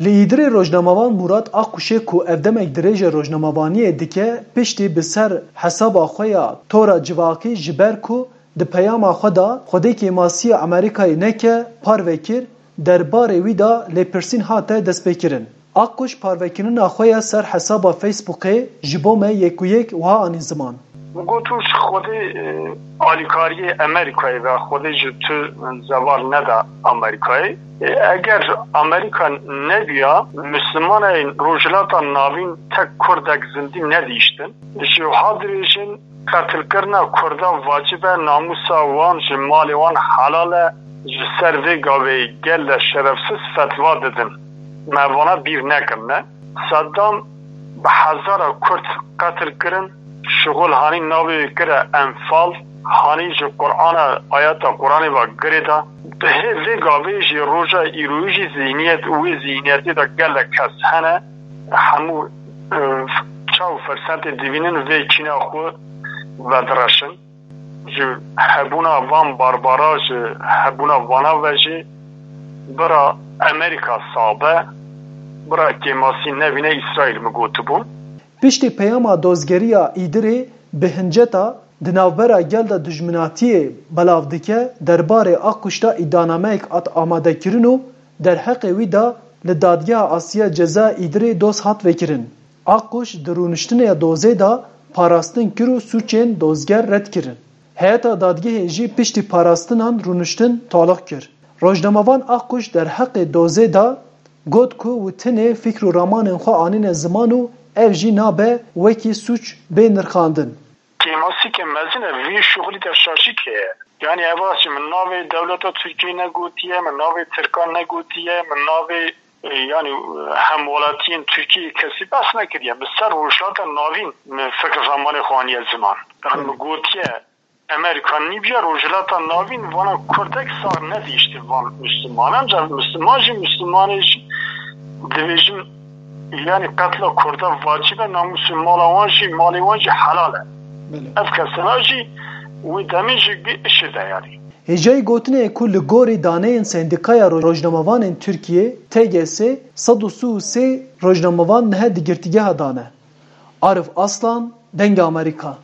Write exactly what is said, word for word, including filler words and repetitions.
Li Îdirê rojnamevan Murat Akkuşê ku ev demek dirêje rojnamevaniyê dike, piştî bi ser hesaba xwe ya tora civakî ji ber ku di peyama xwe de Xwedê kêmasiya Amerîkayê neke, parve kir, derbarê wî de lêpirsîn hate destpêkirin. Akkuş parvekirina xwe ya ser hesaba Facebookê ji bo me yek û yek wiha anî ziman. Min got, ji Xwedê, e, alîkariyê Amerîkayê ve, Xwedê ji tu zeval neda Amerîkayê. E, eger Amerîka nebiya, Mislimanên Rojhilata Navîn tek Kurdek zindî nedihiştin. Ji ha dirêjin, qetilkirina Kurda vacib e, namûsa wan ji malê wan helal e. Ji ser vê gavê gel de şerefsiz fetva didin. Me vana bîr nekirine. Seddam bi hezara Kurd qetil kirin, şixul hanî navê wê kire Enfal, hanî ji Qur'ana, ayeta Qur'anê ve girê da. Bi hê vê gavê jî roja îroyî jî zihniyet û wê zihniyetê de gelek kes hene. Hemû, e, çaw firsete dibînin vê çîna xwe vedireşin. Ji hebûna van barbara, ji hebûna vana ve jî bira Amerîka sabe, bira kêmasî nebîne Îsraîl, min gotibû. Piştî peyama dozgeriya Îdirê bi hinceta di navbera gel de dijminatiyê belav dike, derbarê Akkuş de îdianameyek hat amadekirin û derheqê wî de li Dadgeha Asiya Ceza Îdirê doz hat vekirin. Akkuş di rûniştinê dozê de parastin kir û sûcên dozger red kirin. Heyeta dadgehê jî piştî parastinan rûniştin taloq kir. Rojnamevan Akkuş derheqê dozê de got ku wî tenê fikr û ramanên xwe anîne ziman û ev jî nabe wekî sûc bê nirxandin. Kêmasîke mezin e, vî şuxulî de şaşîk heye. Yanî ev a jî min navê dewleta Tirkiyê negotiye, min navê Tirkan negotiye, min navê, e, yanî, e, hemwelatiyên Tirkiyê kesî behs nekiriye. Bi ser Rojhilata Navîn min fikr ramanê xwe aniye ziman. Yanî min gotiye, Amerîka nîbiya Rojhilata Navîn vana Kurdek sax nedihiştin van Mislimanan. Ca Misliman jî, Mislimanê jî dibêjin, yanî qetla Kurda vacib e, namûsê mala wan jî, malê wan jî helal e. Belê. Ev kesena jî wê demê jî bi işê de yanî. Hêjayî gotinê ye ku li gorî daneyên Sendîkaya Roj-, Rojnamevanên Tirkiyê, T G S, sed û sî û sê rojnamevan niha di girtîgeha de ne. Arif Aslan, Dengê Amerîka.